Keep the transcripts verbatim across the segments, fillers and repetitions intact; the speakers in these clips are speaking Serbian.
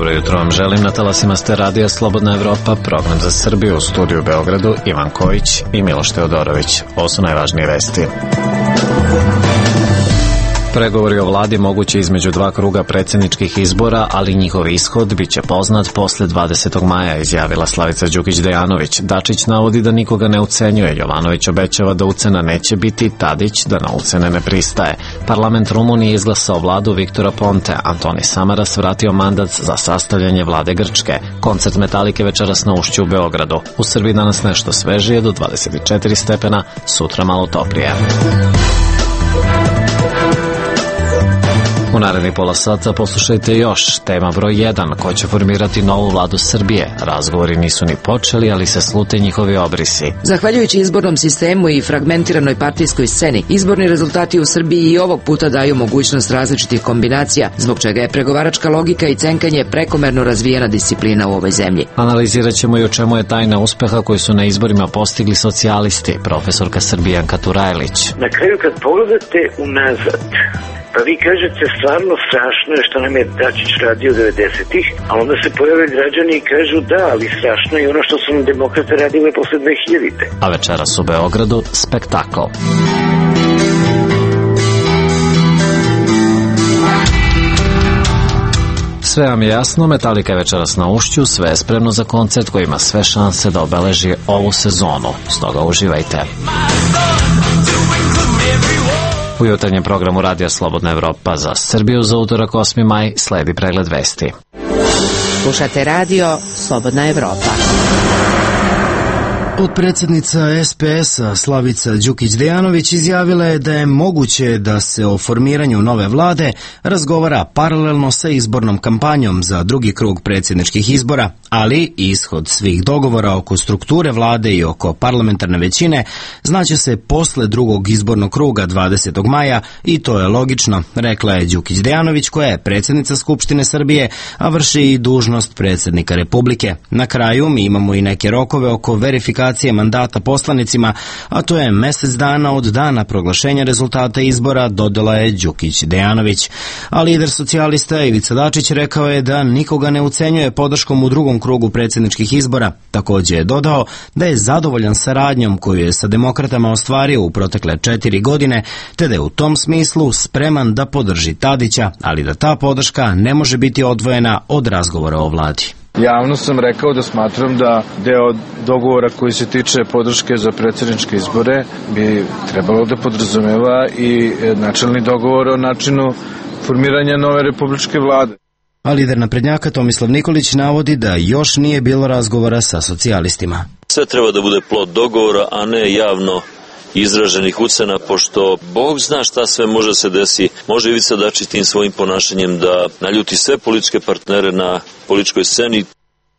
Dobro jutro vam želim, na talasima ste Radija Slobodna Evropa, program za Srbiju, u studiju u Beogradu, Ivan Kojić i Miloš Teodorović. Ovo su najvažnije vesti. Pregovori o vladi moguće između dva kruga predsjedničkih izbora, ali njihov ishod biće poznat posle dvadesetog maja, izjavila Slavica Đukić Dejanović. Dačić navodi da nikoga ne ucenjuje, Jovanović obećava da ucena neće biti, Tadić da na ucene ne pristaje. Parlament Rumunije izglasao vladu Viktora Ponte, Antoni Samaras vratio mandat za sastavljanje vlade Grčke. Koncert Metalike večeras na Ušću u Beogradu. U Srbiji danas nešto svežije do dvadeset četiri stepena, sutra malo toplije. U narednih pola sata poslušajte još. Tema broj jedan. Ko će formirati novu vladu Srbije? Razgovori nisu ni počeli, ali se slute njihovi obrisi. Zahvaljujući izbornom sistemu i fragmentiranoj partijskoj sceni, izborni rezultati u Srbiji i ovog puta daju mogućnost različitih kombinacija, zbog čega je pregovaračka logika i cenkanje prekomerno razvijena disciplina u ovoj zemlji. Analizirat ćemo i o čemu je tajna uspeha koji su na izborima postigli socijalisti, profesorka Srbijanka Turajlić. Na kraju kad pogledate unazad, pa vi kažete stvarno strašno je što nam je Dačić radio devedesetih, a onda se pojave građani i kažu da, ali strašno je ono što su nam demokrate radile posle dve hiljadite. A večeras u Beogradu spektakl. Sve vam je jasno, Metalika je večeras na Ušću, sve je spremno za koncert koji ima sve šanse da obeleži ovu sezonu. Stoga uživajte. U jutarnjem programu Radija Slobodna Evropa za Srbiju za utorak osmi maj sledi pregled vesti. Slušate Radio Slobodna Evropa. Potpredsjednica es pe es-a Slavica Đukić Dejanović izjavila je da je moguće da se o formiranju nove vlade razgovara paralelno sa izbornom kampanjom za drugi krug predsjedničkih izbora, ali ishod svih dogovora oko strukture vlade i oko parlamentarne većine znaće se posle drugog izbornog kruga dvadesetog maja i to je logično, rekla je Đukić Dejanović, koja je predsjednica Skupštine Srbije, a vrši i dužnost predsjednika Republike. Na kraju mi imamo i neke rokove oko verifikacije mandata poslanicima, a to je mesec dana od dana proglašenja rezultata izbora, dodala je Đukić Dejanović. A lider socijalista Ivica Dačić rekao je da nikoga ne ucenjuje podrškom u drugom krugu predsjedničkih izbora. Također je dodao da je zadovoljan saradnjom koju je sa demokratama ostvario u protekle četiri godine, te da je u tom smislu spreman da podrži Tadića, ali da ta podrška ne može biti odvojena od razgovora o vladi. Javno sam rekao da smatram da deo dogovora koji se tiče podrške za predsjedničke izbore bi trebalo da podrazumeva i načelni dogovor o načinu formiranja nove republičke vlade. A lider naprednjaka Tomislav Nikolić navodi da još nije bilo razgovora sa socijalistima. Sve treba da bude plod dogovora, a ne javno izraženih ucena, pošto Bog zna šta sve može se desi. Može Ivica Dačić tim svojim ponašanjem da naljuti sve političke partnere na političkoj sceni.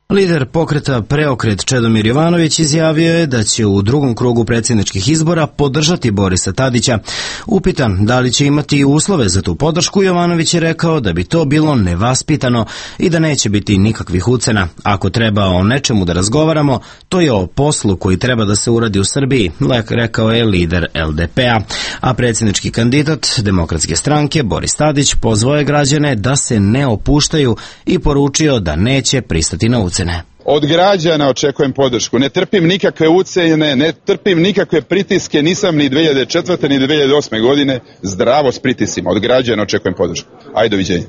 Lider pokreta Preokret Čedomir Jovanović izjavio je da će u drugom krugu predsjedničkih izbora podržati Borisa Tadića. Upitan da li će imati uslove za tu podršku, Jovanović je rekao da bi to bilo nevaspitano i da neće biti nikakvih ucena. Ako treba o nečemu da razgovaramo, to je o poslu koji treba da se uradi u Srbiji, rekao je lider el de pe a. A predsjednički kandidat Demokratske stranke Boris Tadić pozvao je građane da se ne opuštaju i poručio da neće pristati na ucene. Od građana očekujem podršku. Ne trpim nikakve ucene, ne trpim nikakve pritiske, nisam ni dve hiljade četvrte ni dve hiljade osme godine zdravo s pritisima. Od građana očekujem podršku. Ajde, doviđenja.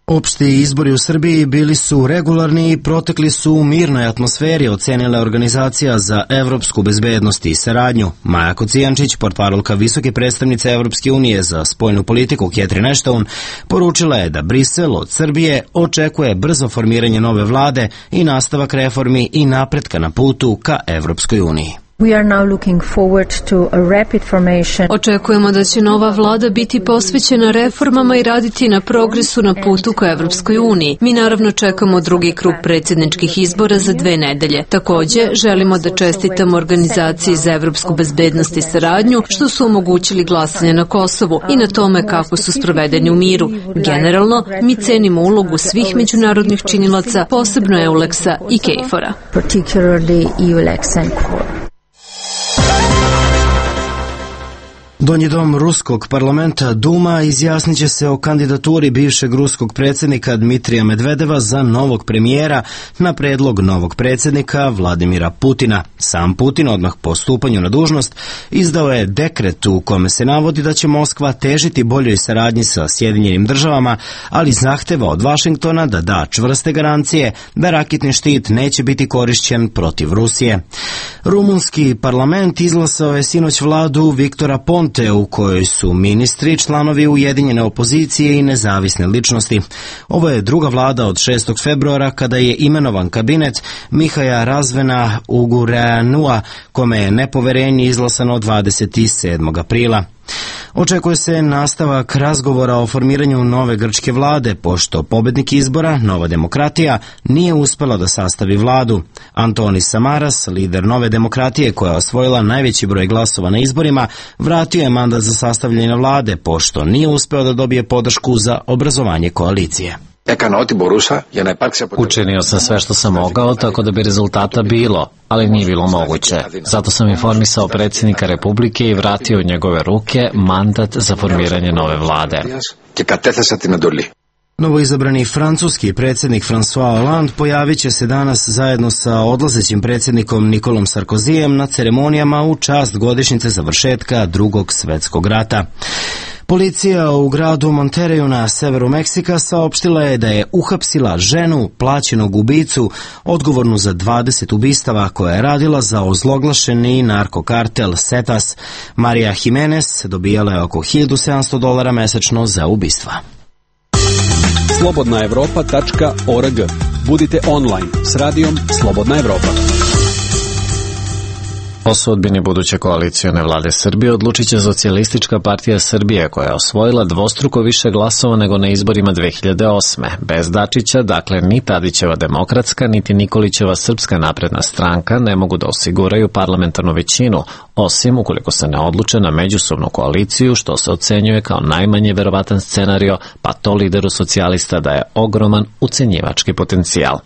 Opšti izbori u Srbiji bili su regularni i protekli su u mirnoj atmosferi, ocenila organizacija za evropsku bezbednost i saradnju. Maja Kocijančić, portparolka visoke predstavnice Evropske unije za spoljnu politiku Catherine Ashton, poručila je da Brisel od Srbije očekuje brzo formiranje nove vlade i nastavak reformi i napretka na putu ka Evropskoj uniji. We are now looking forward to a rapid formation. Očekujemo da će nova vlada biti posvećena reformama i raditi na progresu na putu ka Evropskoj uniji. Mi naravno čekamo drugi krug predsjedničkih izbora za dve nedelje. Također, želimo da čestitamo organizaciji za evropsku bezbednost i saradnju što su omogućili glasanje na Kosovu i na tome kako su sprovedeni u miru. Generalno, mi cenimo ulogu svih međunarodnih činilaca, posebno EULEX-a i KFOR-a. Particularly EULEX and KFOR. Donji dom ruskog parlamenta Duma izjasnit će se o kandidaturi bivšeg ruskog predsjednika Dmitrija Medvedeva za novog premijera na predlog novog predsjednika Vladimira Putina. Sam Putin odmah po stupanju na dužnost izdao je dekret u kome se navodi da će Moskva težiti boljoj saradnji sa Sjedinjenim državama, ali zahteva od Vašingtona da da čvrste garancije da raketni štit neće biti korišćen protiv Rusije. Rumunski parlament izglasao je sinoć vladu Viktora Ponte u kojoj su ministri, članovi ujedinjene opozicije i nezavisne ličnosti. Ovo je druga vlada od šestog februara kada je imenovan kabinet Mihaja Razvena Ugureanua, kome je nepoverenje izglasano dvadeset sedmog aprila. Očekuje se nastavak razgovora o formiranju nove grčke vlade, pošto pobednik izbora, Nova demokratija, nije uspela da sastavi vladu. Antonis Samaras, lider Nove demokratije koja je osvojila najveći broj glasova na izborima, vratio je mandat za sastavljanje vlade, pošto nije uspeo da dobije podršku za obrazovanje koalicije. Učinio sam sve što sam mogao tako da bi rezultata bilo, ali nije bilo moguće. Zato sam informisao predsjednika Republike i vratio u njegove ruke mandat za formiranje nove vlade. Novoizabrani francuski predsjednik François Hollande pojavit će se danas zajedno sa odlazećim predsjednikom Nikolom Sarkozijem na ceremonijama u čast godišnjice završetka Drugog svjetskog rata. Policija u gradu Monterreyu na severu Meksika saopštila je da je uhapsila ženu, plaćenog ubicu, odgovornu za dvadeset ubistava koja je radila za ozloglašeni narkokartel Zetas. Marija Jimenez dobijala je oko hiljadu sedamsto dolara mesečno za ubistva. slobodna evropa tačka org. Budite online s radijom Slobodna Evropa. O sudbini buduće koalicione vlade Srbije odlučit će Socijalistička partija Srbije, koja je osvojila dvostruko više glasova nego na izborima dve hiljade osme. Bez Dačića, dakle, ni Tadićeva demokratska, niti Nikolićeva Srpska napredna stranka ne mogu da osiguraju parlamentarnu većinu, osim ukoliko se ne odluče na međusobnu koaliciju, što se ocenjuje kao najmanje verovatan scenario, pa to lideru socijalista da je ogroman ucenjivački potencijal.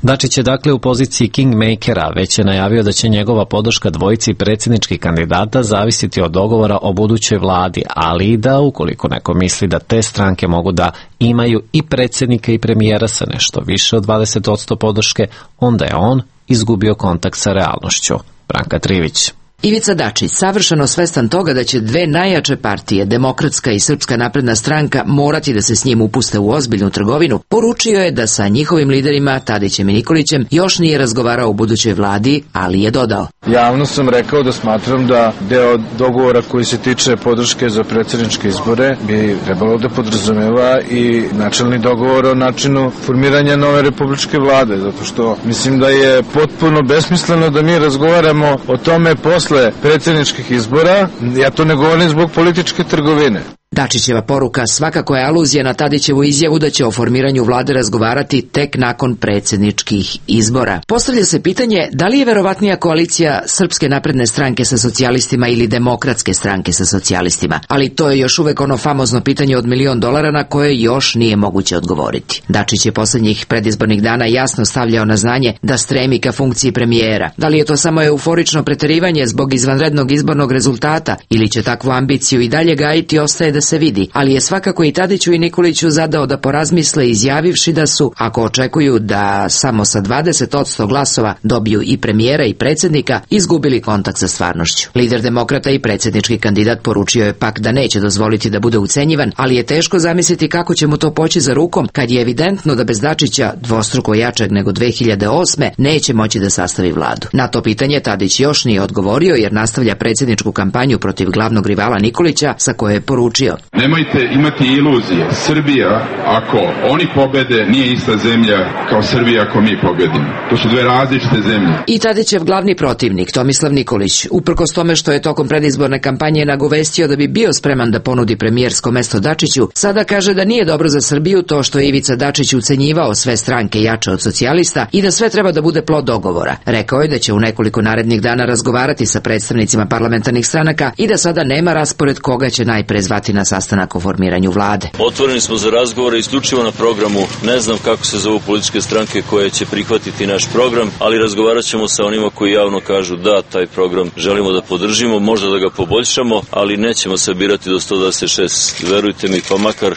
Dačić je dakle u poziciji kingmakera, već je najavio da će njegova podrška dvojici predsjedničkih kandidata zavisiti od dogovora o budućoj vladi, ali i da, ukoliko neko misli da te stranke mogu da imaju i predsjednika i premijera sa nešto više od dvadeset posto podrške, onda je on izgubio kontakt sa realnošću. Branka Trivić. Ivica Dačić, savršeno svestan toga da će dve najjače partije, Demokratska i Srpska napredna stranka, morati da se s njim upuste u ozbiljnu trgovinu, poručio je da sa njihovim liderima, Tadićem i Nikolićem, još nije razgovarao o budućoj vladi, ali je dodao. Javno sam rekao da smatram da deo dogovora koji se tiče podrške za predsjedničke izbore bi trebalo da podrazumeva i načelni dogovor o načinu formiranja nove republičke vlade, zato što mislim da je potpuno besmisleno da mi razgovaramo o tome posle posle predsjedničkih izbora. Ja to ne govorim zbog političke trgovine. Dačićeva poruka svakako je aluzija na Tadićevu izjavu da će o formiranju vlade razgovarati tek nakon predsjedničkih izbora. Postavlja se pitanje da li je verovatnija koalicija Srpske napredne stranke sa socijalistima ili Demokratske stranke sa socijalistima, ali to je još uvek ono famozno pitanje od milion dolara na koje još nije moguće odgovoriti. Dačić je poslednjih predizbornih dana jasno stavljao na znanje da stremi ka funkciji premijera. Da li je to samo euforično preterivanje zbog izvanrednog izbornog rezultata ili će takvu ambiciju i dalje gajiti, ostaje da se vidi, ali je svakako i Tadiću i Nikoliću zadao da porazmisle, izjavivši da su, ako očekuju da samo sa dvadeset posto glasova dobiju i premijera i predsjednika, izgubili kontakt sa stvarnošću. Lider demokrata i predsjednički kandidat poručio je pak da neće dozvoliti da bude ucenjivan, ali je teško zamisliti kako će mu to poći za rukom kad je evidentno da bez Dačića, dvostruko jačeg nego dve hiljade osme, neće moći da sastavi vladu. Na to pitanje Tadić još nije odgovorio jer nastavlja predsjedničku kampanju protiv glavnog rivala Nikolića, sa koje je poručio: nemojte imati iluzije. Srbija, ako oni pobede, nije ista zemlja kao Srbija ako mi pobedimo. To su dve različite zemlje. I Tadićev glavni protivnik, Tomislav Nikolić, uprkos tome što je tokom predizborne kampanje nagovestio da bi bio spreman da ponudi premijersko mesto Dačiću, sada kaže da nije dobro za Srbiju to što je Ivica Dačić ucenjivao sve stranke jače od socijalista i da sve treba da bude plod dogovora. Rekao je da će u nekoliko narednih dana razgovarati sa predstavnicima parlamentarnih stranaka i da sada nema raspored koga će najpre zvati na sastanak o formiranju vlade. Otvoreni smo za razgovore isključivo na programu. Ne znam kako se zovu političke stranke koje će prihvatiti naš program, ali razgovarat ćemo sa onima koji javno kažu da taj program želimo da podržimo, možda da ga poboljšamo, ali nećemo se birati do sto dvadeset šest. Verujte mi, pa makar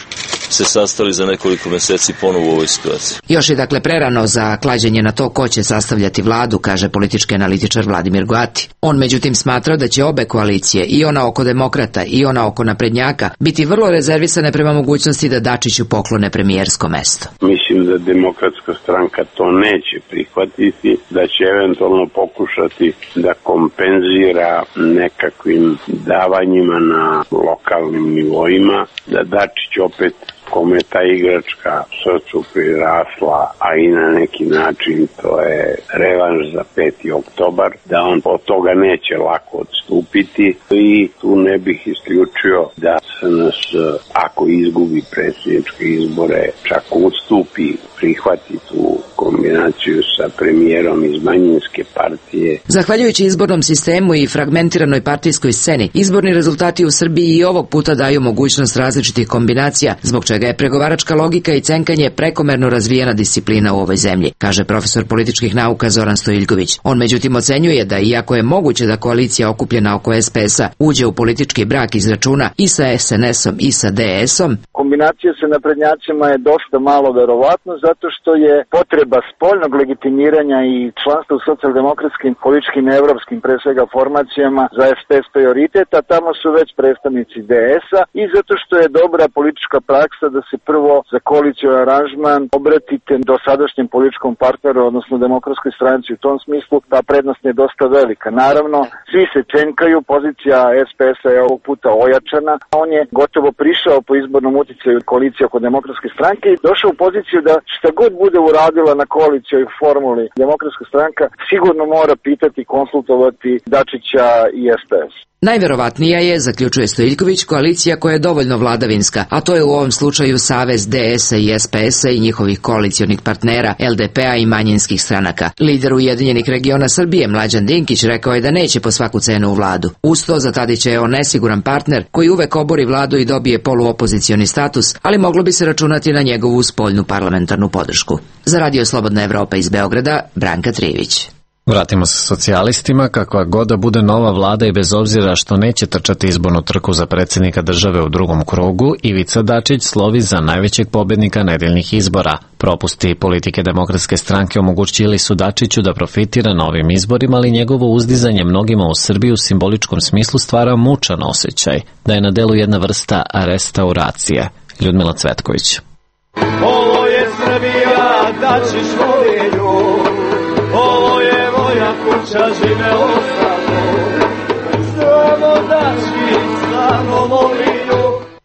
se sastali za nekoliko meseci ponovo u ovoj situaciji. Još je dakle prerano za klađenje na to ko će sastavljati vladu, kaže politički analitičar Vladimir Goati. On međutim smatra da će obe koalicije, i ona oko demokrata i ona oko naprednjaka, biti vrlo rezervisane prema mogućnosti da Dačiću poklone premijersko mesto. Mislim da demokratska stranka to neće prihvatiti, da će eventualno pokušati da kompenzira nekakvim davanjima na lokalnim nivoima, da Dačić opet, kome je ta igračka srcu prirasla, a i na neki način to je revanš za peti oktobar, da on od toga neće lako odstupiti i tu ne bih isključio da S N S, ako izgubi predsjedničke izbore, čak odstupi, prihvati tu kombinaciju sa premijerom iz manjinske partije. Zahvaljujući izbornom sistemu i fragmentiranoj partijskoj sceni, izborni rezultati u Srbiji i ovog puta daju mogućnost različitih kombinacija, zbog čega je pregovaračka logika i cenkanje prekomerno razvijena disciplina u ovoj zemlji, kaže profesor političkih nauka Zoran Stojiljković. On međutim ocenjuje da iako je moguće da koalicija okupljena oko S P S-a uđe u politički brak iz računa i sa S N S-om i sa D S-om, kombinacija sa naprednjacima je dosta malo verovatno zato što je potreba spoljnog legitimiranja i članstva u socijaldemokratskim, političkim, evropskim pre svega formacijama za S P S prioritet, a tamo su već predstavnici D S-a i zato što je dobra politička praksa da se prvo za koaliciju aranžman obratite do sadašnjem političkom partneru, odnosno demokratskoj stranci. U tom smislu ta prednost je dosta velika. Naravno, svi se čenkaju, pozicija S P S-a je ovog puta ojačana, on je gotovo prišao po izbornom uticaju koalicije oko demokratske stranke i došao u poziciju da šta god bude uradila na koalicijoj formuli demokratska stranka, sigurno mora pitati, konsultovati Dačića i S P S. Najverovatnija je, zaključuje Stojiljković, koalicija koja je dovoljno vladavinska, a to je u ovom slučaju savez D S-a i S P S-a i njihovih koalicionih partnera, L D P-a i manjinskih stranaka. Lider Ujedinjenih regiona Srbije, Mlađan Dinkić, rekao je da neće po svaku cenu u vladu. Uz to, za Tadića je on nesiguran partner koji uvek obori vladu i dobije poluopozicioni status, ali moglo bi se računati na njegovu spoljnu parlamentarnu podršku. Za Radio Slobodna Evropa iz Beograda, Branka Trivić. Vratimo se socijalistima, kakva god da bude nova vlada i bez obzira što neće trčati izbornu trku za predsjednika države u drugom krugu, Ivica Dačić slovi za najvećeg pobednika nedeljnih izbora. Propusti politike Demokratske stranke omogućili su Dačiću da profitira na ovim izborima, ali njegovo uzdizanje mnogima u Srbiji u simboličkom smislu stvara mučan osjećaj da je na delu jedna vrsta restauracije. Ljudmila Cvetković. Ovo je Srbija, Dačić voliju, ovo je moja kuća, živelo samo, samo Dačić, samo voliju.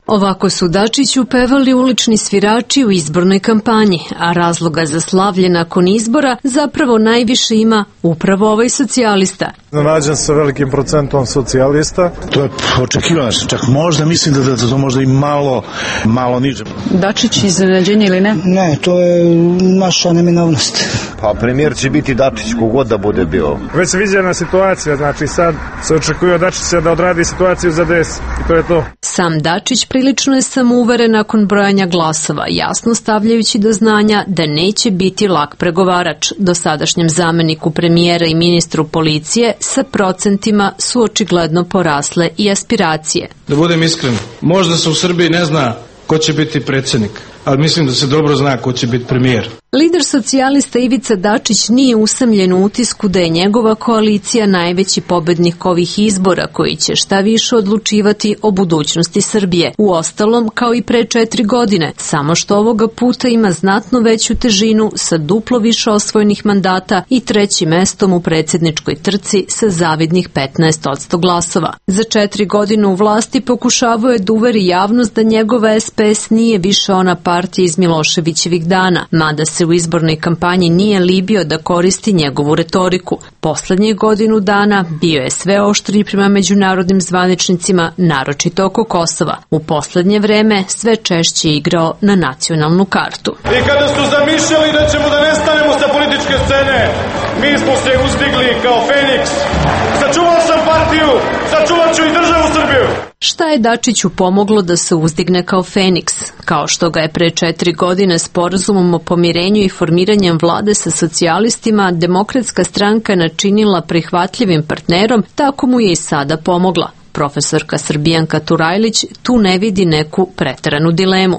Ovako su Dačiću pevali ulični svirači u izbornoj kampanji, a razloga za slavlje nakon izbora zapravo najviše ima upravo ovaj socijalista. Nađen sa velikim procentom socijalista. To je očekivano, čak možda mislim da, da to možda i malo, malo niže. Dačić iznenađenje ili ne? Ne, to je naša neminovnost. Pa premijer će biti Dačić, kogod da bude bio. Već se viđena situacija, znači sad se očekuje od Dačića da odradi situaciju za D S i to je to. Sam Dačić prilično je samouveren nakon brojanja glasova, jasno stavljajući do znanja da neće biti lak pregovarač. Dosadašnjem zameniku premijera i ministru policije sa procentima su očigledno porasle i aspiracije. Da budem iskren, možda se u Srbiji ne zna ko će biti predsjednik, ali mislim da se dobro zna ko će biti premijer. Lider socijalista Ivica Dačić nije usamljen u utisku da je njegova koalicija najveći pobednik ovih izbora koji će šta više odlučivati o budućnosti Srbije. Uostalom, kao i pre četiri godine, samo što ovoga puta ima znatno veću težinu sa duplo više osvojenih mandata i trećim mestom u predsjedničkoj trci sa zavidnih petnaest posto glasova. Za četiri godine u vlasti pokušavao je da uveri javnost da njegova S P S nije više ona partija iz Miloševićevih dana, mada se u izbornoj kampanji nije libio da koristi njegovu retoriku. Poslednje godinu dana bio je sve oštriji prema međunarodnim zvaničnicima, naročito oko Kosova. U poslednje vreme sve češće igrao na nacionalnu kartu. I kada su zamišljali da ćemo da nestanemo sa političke scene, mi smo se uzdigli kao Feniks. Sačuvao sam partiju, sačuvat ću i državu Srbiju. Šta je Dačiću pomoglo da se uzdigne kao Feniks? Kao što ga je pre četiri godine sporazumom o pomirenju i formiranjem vlade sa socijalistima Demokratska stranka načinila prihvatljivim partnerom, tako mu je i sada pomogla. Profesorka Srbijanka Turajlić tu ne vidi neku preteranu dilemu.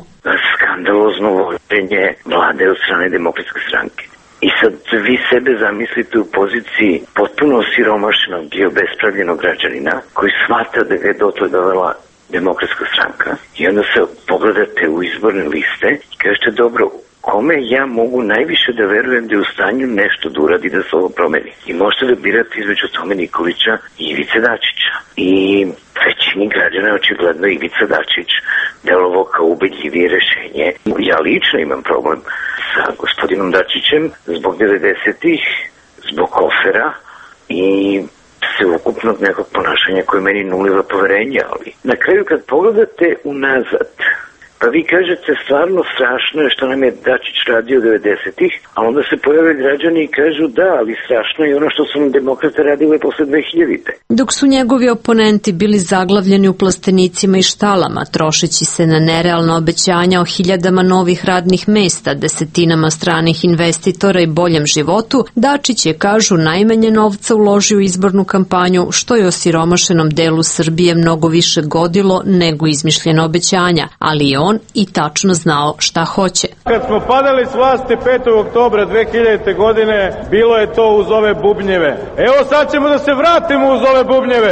Skandalozno vođenje vlade od strane Demokratske stranke. I sad vi sebe zamislite u poziciji potpuno osiromašenog i obespravljenog građanina koji shvata da ga je dotle dovela Demokratska stranka i onda se pogledate u izborne liste i kažete dobro, kome ja mogu najviše da verujem da je u stanju nešto da uradi da se ovo promeni. I možete da birate između Tome Nikolića i Ivice Dačića. I većini građana očigledno Ivica Dačić delovao kao ubedljivije rešenje. Ja lično imam problem sa gospodinom Dačićem zbog devedesetih, zbog kofera i sveukupnog nekog ponašanja koje meni nuliva poverenja. Ali na kraju kad pogledate unazad, pa vi kažete stvarno strašno je što nam je Dačić radio devedesetih, a onda se pojave građani i kažu da, ali strašno je ono što su nam demokrate radile posle dve hiljadite. Dok su njegovi oponenti bili zaglavljeni u plastenicima i štalama, trošeći se na nerealna obećanja o hiljadama novih radnih mesta, desetinama stranih investitora i boljem životu, Dačić je, kažu, najmanje novca uložio u izbornu kampanju, što je osiromašenom delu Srbije mnogo više godilo nego izmišljena obećanja, ali je on i tačno znao šta hoće. Kad smo padali s vlasti petog oktobra dve hiljadite. godine, bilo je to uz ove bubnjeve. Evo sad ćemo da se vratimo uz ove bubnjeve.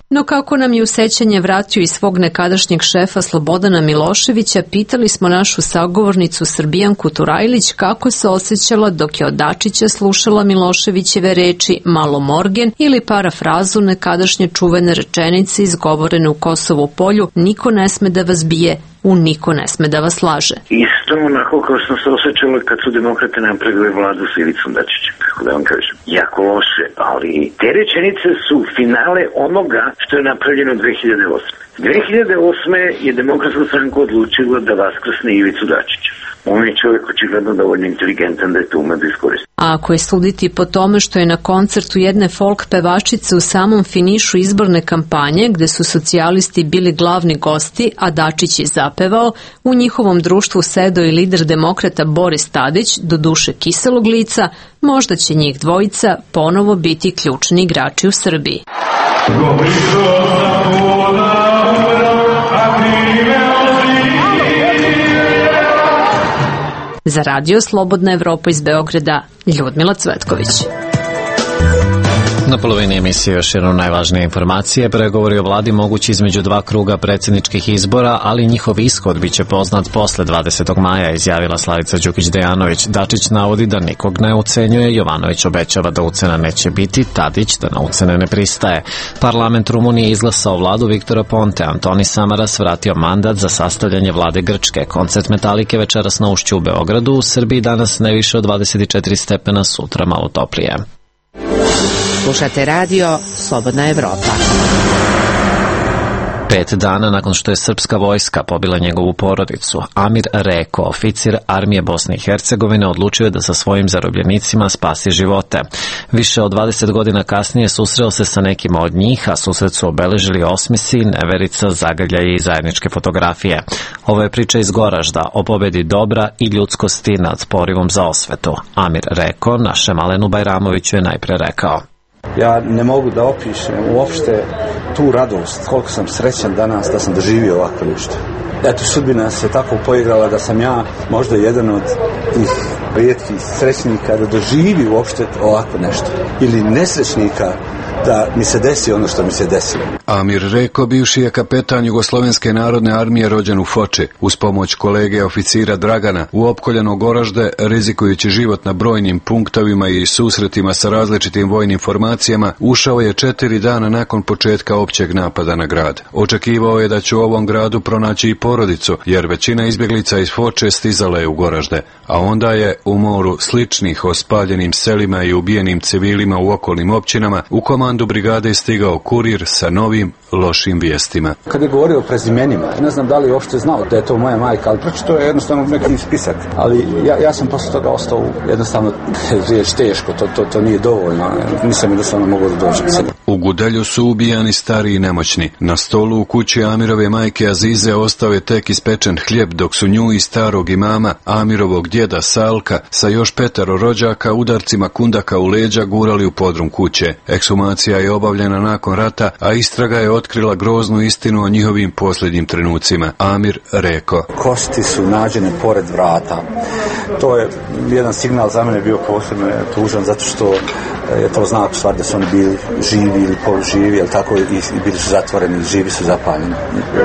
No kako nam je u sećanje vratio i svog nekadašnjeg šefa Slobodana Miloševića, pitali smo našu sagovornicu Srbijanku Turajlić kako se osjećala dok je od Dačića slušala Miloševićeve reči malo morgen ili parafrazu nekadašnje čuvene rečenice izgovorene u Kosovu polju: niko ne sme da vas bije, u niko ne sme da vas laže. Isto onako kao što se osjećala kad su demokrate napravili vladu s Ivicom Dačićem, kako da vam kažem. Jako loše, ali te rečenice su finale onoga što je napravljeno dve hiljade osme. dve hiljade osme je Demokratska stranka odlučila da vaskrsne Ivicu Dačića. On je čovjek očigledno dovoljno inteligentan da je to ume da iskoristi. A ako je suditi po tome što je na koncertu jedne folk pevačice u samom finišu izborne kampanje, gde su socijalisti bili glavni gosti, a Dačić je zapevao, u njihovom društvu sedao i lider demokrata Boris Tadić, do duše kiselog lica, možda će njih dvojica ponovo biti ključni igrači u Srbiji. Za radio Slobodna Evropa iz Beograda, Ljudmila Cvetković. Na polovini emisije još jedno najvažnije informacije. Pregovori o vladi mogući između dva kruga predsjedničkih izbora, ali njihov ishod biće poznat posle dvadesetog maja, izjavila Slavica Đukić Dejanović. Dačić navodi da nikog ne ucenjuje, Jovanović obećava da ucena neće biti, Tadić da na ucene ne pristaje. Parlament Rumunije izglasao vladu Viktora Ponte, Antoni Samaras vratio mandat za sastavljanje vlade Grčke. Koncert Metalike večeras na Ušću u Beogradu, u Srbiji danas ne više od dvadeset četiri stepena, sutra malo toplije. Slušate radio Slobodna Evropa. Pet dana nakon što je srpska vojska pobila njegovu porodicu, Amir Reko, oficir armije Bosne i Hercegovine, odlučio je da sa svojim zarobljenicima spasi živote. Više od dvadeset godina kasnije susreo se sa nekima od njih, a susret su obeležili osmesi, neverica, zagrljaje i zajedničke fotografije. Ovo je priča iz Goražda o pobedi dobra i ljudskosti nad porivom za osvetu. Amir Reko našem Alenu Bajramoviću je najpre rekao: ja ne mogu da opišem uopšte tu radost, koliko sam srećan danas da sam doživio ovako nešto. Eto, sudbina se tako poigrala da sam ja možda jedan od tih rijetkih srećnika da doživi uopšte ovako nešto. Ili nesrećnika da mi se desi ono što mi se desilo. Amir Reko, bivši je kapetan Jugoslovenske narodne armije, rođen u Foči. Uz pomoć kolege oficira Dragana u opkoljeno Goražde, rizikujući život na brojnim punktovima i susretima sa različitim vojnim formacijama, ušao je četiri dana nakon početka općeg napada na grad. Očekivao je da će u ovom gradu pronaći i porodicu, jer većina izbjeglica iz Foče stizala je u Goražde, a onda je u moru sličnih o spaljenim selima i ubijenim civilima u okolnim općinama u komandu brigade stigao kurir sa novim lošim vijestima. Kad je govorio o prezimenima, ne znam da li je uopšte znao da je to moja majka, ali pročito je jednostavno neki spisak. Ali ja, ja sam posle toga ostao jednostavno riječ teško, to, to, to nije dovoljno, nisam jednostavno mogao da dođem. U Gudelju su ubijani stari i nemoćni. Na stolu u kući Amirove majke Azize ostao je tek ispečen hljeb, dok su nju i starog imama, Amirovog djeda Salka, sa još petero rođaka udarcima kundaka u leđa gurali u podrum kuće. Ekshumacija je obavljena nakon rata, a istraga je otkrila groznu istinu o njihovim posljednjim trenucima. Amir rekao: Kosti su nađene pored vrata. To je jedan signal za mene bio posebno tužan, zato što je to znak u stvari da su oni bili živi ili poluživi, ali tako i, i bili su zatvoreni, živi su zapaljeni.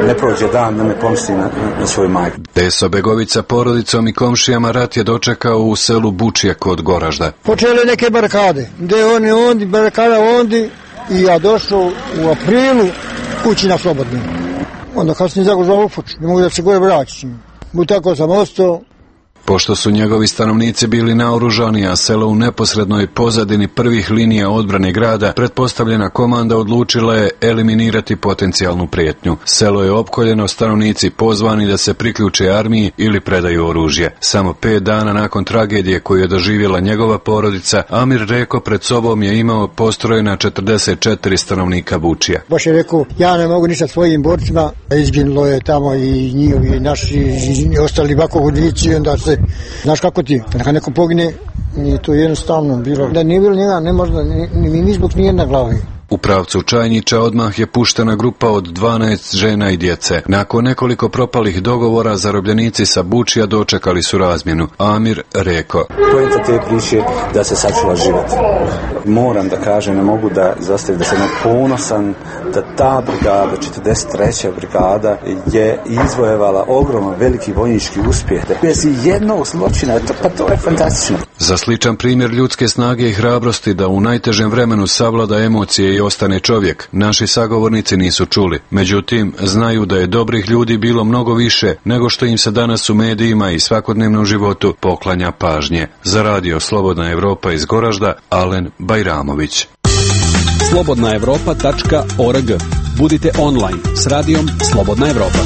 Ne prođe dan da ne pomisli na, na svoju majku. Teso Begovica porodicom i komšijama rat je dočekao u selu Bučija kod Goražda. Počele neke barakade, gde oni ondi, barakada ondi, i ja došao u aprilu kući na slobodno. Onda kasnije zagožao ufuč, ne mogu da se gore vraćam. U tako sam ostao. Pošto su njegovi stanovnici bili naoružani, a selo u neposrednoj pozadini prvih linija odbrane grada, pretpostavljena komanda odlučila je eliminirati potencijalnu prijetnju. Selo je opkoljeno, stanovnici pozvani da se priključe armiji ili predaju oružje. Samo pet dana nakon tragedije koju je doživjela njegova porodica, Amir Reko pred sobom je imao postrojena četrdeset četiri stanovnika Bučija. Baš je rekao, ja ne mogu ništa svojim borcima, izginulo je tamo i njihovi i naši i ostali vakovodici, onda se, znaš kako ti, kada neko pogine, nije to jednostavno bilo. Da nije bilo njega, ne možda, ni, ni, ni zbog nijedna glavi. U pravcu Čajnića odmah je puštena grupa od dvanaest žena i djece. Nakon nekoliko propalih dogovora, zarobljenici sa Bučija dočekali su razmjenu. Amir rekao: Poenta te priče da se sačuva život. Moram da kažem, ne mogu da izostavim da sam ponosan da ta brigada, četrdeset treća brigada, je izvojevala ogroman veliki vojnički uspjeh. Bez jednog zločina, to, pa to je fantastično. Za sličan primjer ljudske snage i hrabrosti da u najtežem vremenu savlada emocije i ostane čovjek, naši sagovornici nisu čuli. Međutim, znaju da je dobrih ljudi bilo mnogo više nego što im se danas u medijima i svakodnevnom životu poklanja pažnje. Za radio Slobodna Evropa iz Goražda, Alen Bajramović. slobodna evropa tačka org. Budite online s radijom Slobodna Evropa.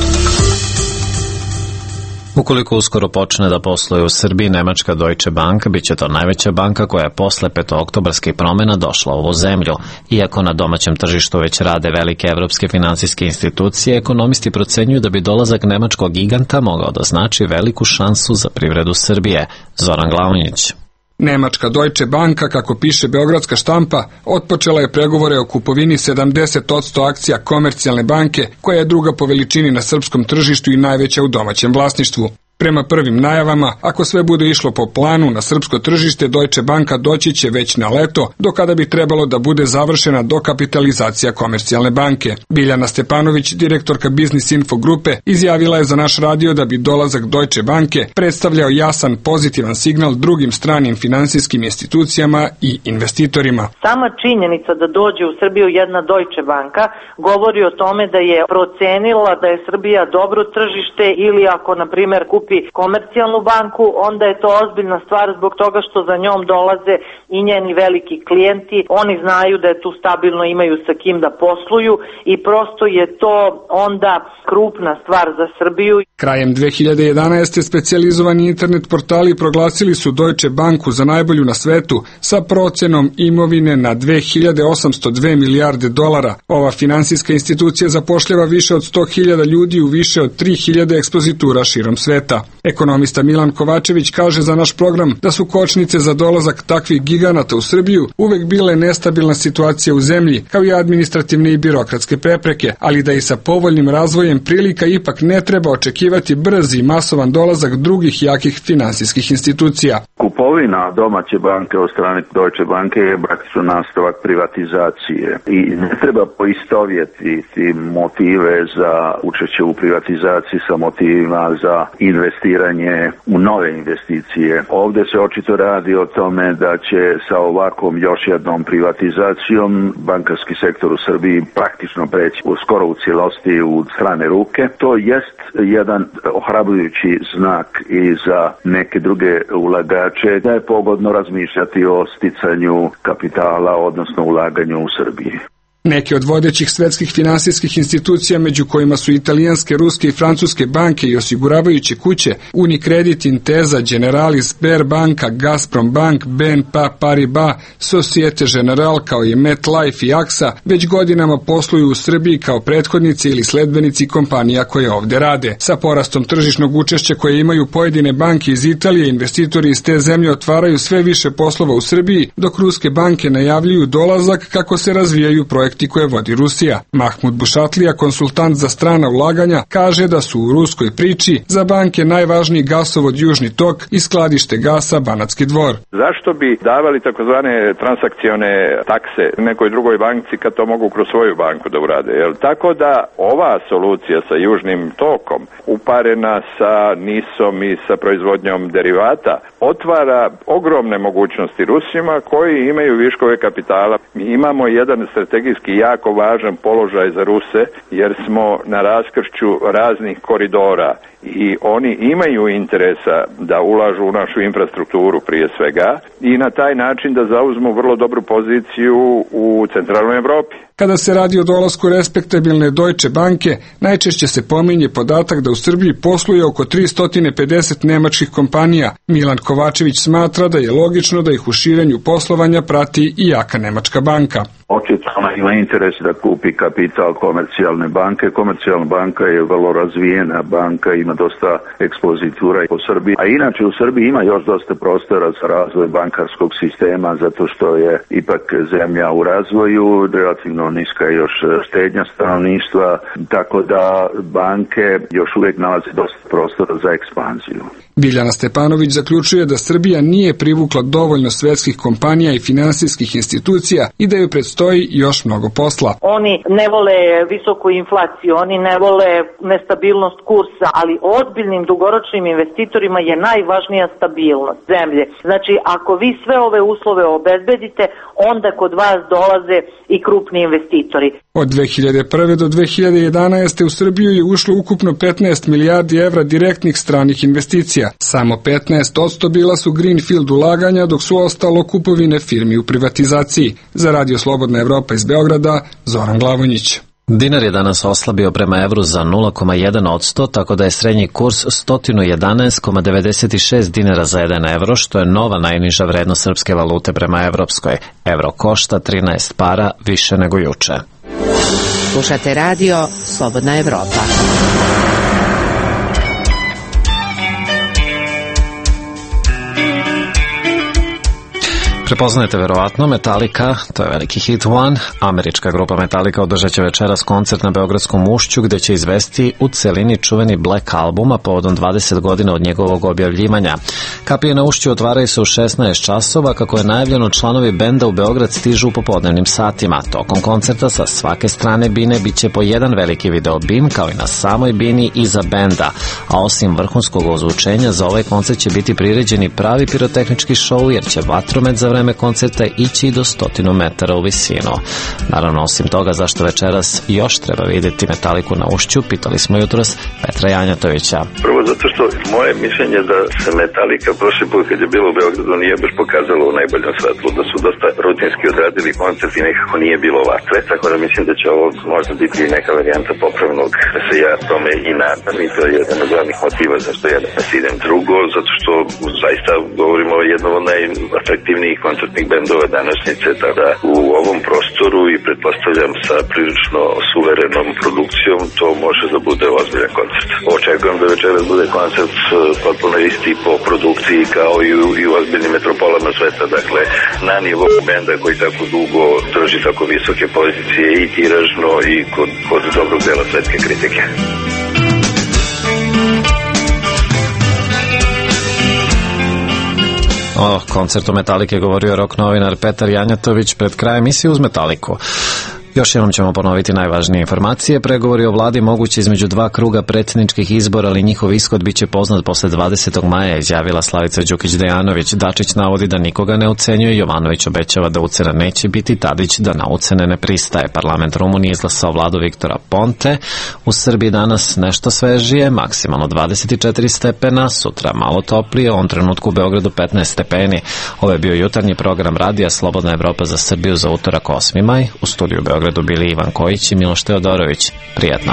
Ukoliko uskoro počne da posluje u Srbiji nemačka Deutsche Bank, bit će to najveća banka koja je posle petooktobarskih promjena došla u ovu zemlju. Iako na domaćem tržištu već rade velike evropske finansijske institucije, ekonomisti procenjuju da bi dolazak nemačkog giganta mogao da znači veliku šansu za privredu Srbije. Zoran Glavinić. Nemačka Deutsche Banka, kako piše beogradska štampa, otpočela je pregovore o kupovini sedamdeset posto akcija Komercijalne banke, koja je druga po veličini na srpskom tržištu i najveća u domaćem vlasništvu. Prema prvim najavama, ako sve bude išlo po planu, na srpsko tržište Deutsche Banka doći će već na leto, do kada bi trebalo da bude završena dokapitalizacija Komercijalne banke. Biljana Stepanović, direktorka Business Info grupe, izjavila je za naš radio da bi dolazak Deutsche Banke predstavljao jasan pozitivan signal drugim stranim finansijskim institucijama i investitorima. Sama činjenica da dođe u Srbiju jedna Deutsche Banka govori o tome da je procenila da je Srbija dobro tržište, ili ako, na primjer, kupi Komercijalnu banku, onda je to ozbiljna stvar zbog toga što za njom dolaze i njeni veliki klijenti. Oni znaju da je tu stabilno, imaju sa kim da posluju i prosto je to onda krupna stvar za Srbiju. Krajem dve hiljade jedanaeste. specijalizovani internet portali proglasili su Deutsche Banku za najbolju na svetu sa procenom imovine na dve hiljade osamsto dve milijarde dolara. Ova finansijska institucija zapošljava više od sto hiljada ljudi u više od tri hiljade ekspozitura širom sveta. Ekonomista Milan Kovačević kaže za naš program da su kočnice za dolazak takvih giganata u Srbiju uvek bile nestabilna situacija u zemlji, kao i administrativne i birokratske prepreke, ali da i sa povoljnim razvojem prilika ipak ne treba očekivati brz i masovan dolazak drugih jakih finansijskih institucija. Kupovina domaće banke od strane Deutsche Banke je praktično nastavak privatizacije i ne treba poistovjetiti motive za učešće u privatizaciji sa motivima za investiranje u nove investicije. Ovdje se očito radi o tome da će sa ovakvom još jednom privatizacijom bankarski sektor u Srbiji praktično preći u skoro u cijelosti u strane ruke. To jest jedan ohrabrujući znak i za neke druge ulagače da je pogodno razmišljati o sticanju kapitala, odnosno ulaganju u Srbiji. Neke od vodećih svetskih finansijskih institucija, među kojima su italijanske, ruske i francuske banke i osiguravajuće kuće, Unicredit, Intesa, Generali, Sberbanka, Gazprom Bank, B N P Paribas, Societe Generale kao i MetLife i A X A, već godinama posluju u Srbiji kao prethodnici ili sledbenici kompanija koje ovde rade. Sa porastom tržišnog učešća koje imaju pojedine banke iz Italije, investitori iz te zemlje otvaraju sve više poslova u Srbiji, dok ruske banke najavljuju dolazak kako se razvijaju projekti koje vodi Rusija. Mahmud Bušatlija, konsultant za strana ulaganja, kaže da su u ruskoj priči za banke najvažniji gasovod Južni tok i skladište gasa Banatski Dvor. Zašto bi davali takozvane transakcione takse nekoj drugoj banci kad to mogu kroz svoju banku da urade? Jel? Tako da ova solucija sa Južnim tokom uparena sa nisom i sa proizvodnjom derivata otvara ogromne mogućnosti Rusima koji imaju viškove kapitala. Mi imamo jedan strategijski jako važan položaj za Ruse jer smo na raskršću raznih koridora i oni imaju interesa da ulažu u našu infrastrukturu prije svega i na taj način da zauzmu vrlo dobru poziciju u centralnoj Evropi. Kada se radi o dolasku respektabilne Deutsche banke, najčešće se pominje podatak da u Srbiji posluje oko tristo pedeset nemačkih kompanija. Milan Kovačević smatra da je logično da ih u širenju poslovanja prati i jaka nemačka banka. Očito ona ima interes da kupi kapital komercijalne banke. Komercijalna banka je vrlo razvijena banka, ima dosta ekspozitura po Srbiji. A inače u Srbiji ima još dosta prostora za razvoj bankarskog sistema, zato što je ipak zemlja u razvoju, relativno niska je još štednja stanovništva, tako da banke još uvijek nalaze dosta prostora za ekspanziju. Biljana Stepanović zaključuje da Srbija nije privukla dovoljno svetskih kompanija i finansijskih institucija i da joj predstoji još mnogo posla. Oni ne vole visoku inflaciju, oni ne vole nestabilnost kursa, ali ozbiljnim dugoročnim investitorima je najvažnija stabilnost zemlje. Znači, ako vi sve ove uslove obezbedite, onda kod vas dolaze i krupni investitori. Od dve hiljade prve do dve hiljade jedanaeste u Srbiju je ušlo ukupno petnaest milijardi evra direktnih stranih investicija. Samo petnaest posto bila su greenfield ulaganja, dok su ostalo kupovine firmi u privatizaciji. Za Radio Slobodna Evropa iz Beograda, Zoran Glavonjić. Dinar je danas oslabio prema evru za nula zarez jedan posto, tako da je srednji kurs sto jedanaest zarez devedeset šest dinara za jedan evro, što je nova najniža vrednost srpske valute prema evropskoj. Evro košta trinaest para više nego juče. Slušate radio Slobodna Evropa. Prepoznajete verovatno Metallica, to je veliki hit One. Američka grupa Metallica održat će večeras koncert na Beogradskom ušću gde će izvesti u celini čuveni Black Album, a povodom dvadeset godina od njegovog objavljivanja. Kapije na ušću otvaraju se u šesnaest časova, kako je najavljeno članovi benda u Beograd stižu u popodnevnim satima. Tokom koncerta sa svake strane bine biće po jedan veliki video bim, kao i na samoj bini iza benda, a osim vrhunskog ozvučenja za ovaj koncert će biti priređeni pravi pirotehnički šou, jer će vatromet za vreme koncerta ići do stotinu metara u visinu. Naravno, osim toga, zašto večeras još treba vidjeti Metaliku na ušću, pitali smo jutros Petra Janjatovića. Prvo zato što moje mišljenje da se Metalika prošli put kad je bilo u Beogradu nije baš pokazalo u najboljem svetlu, da su dosta rutinski odradili koncert i nekako nije bilo vatre, tako da mislim da će ovo možda biti neka varijanta popravnog, da se ja tome i nadam, i to je jedan od glavnih motiva zašto ja danas idem. Drugo, zato što zaista govorimo o jednom od najatraktivnijih koncertnih bendova današnjice, tada u ovom prostoru i pretpostavljam sa prilično suverenom produkcijom to može da bude ozbiljan koncert. Očekujem da večeras bude koncert potpuno isti po produkciji kao i u, i u ozbiljnim metropolama sveta, dakle na nivou benda koji tako dugo drži tako visoke pozicije i tiražno i kod, kod dobrog dela svetske kritike. O koncertu Metalike govorio rock novinar Petar Janjatović pred krajem emisije uz Metaliku. Još jednom ćemo ponoviti najvažnije informacije. Pregovori o vladi moguće između dva kruga predsjedničkih izbora, ali njihov ishod biće poznat posle dvadesetog maja, izjavila Slavica Đukić Dejanović. Dačić navodi da nikoga ne ucenjuje, Jovanović obećava da ucena neće biti, Tadić da na ucene ne pristaje. Parlament Rumunije izglasao vladu Viktora Ponte. U Srbiji danas nešto svežije, maksimalno dvadeset četiri stepena, sutra malo toplije, u ovom trenutku u Beogradu petnaest stepeni. Ovo je bio jutarnji program radija Slobodna Evropa za Srbiju za utorak osmi maj. U studiju Beograd pregledu bili Ivan Kojić i Miloš Teodorović. Prijatno.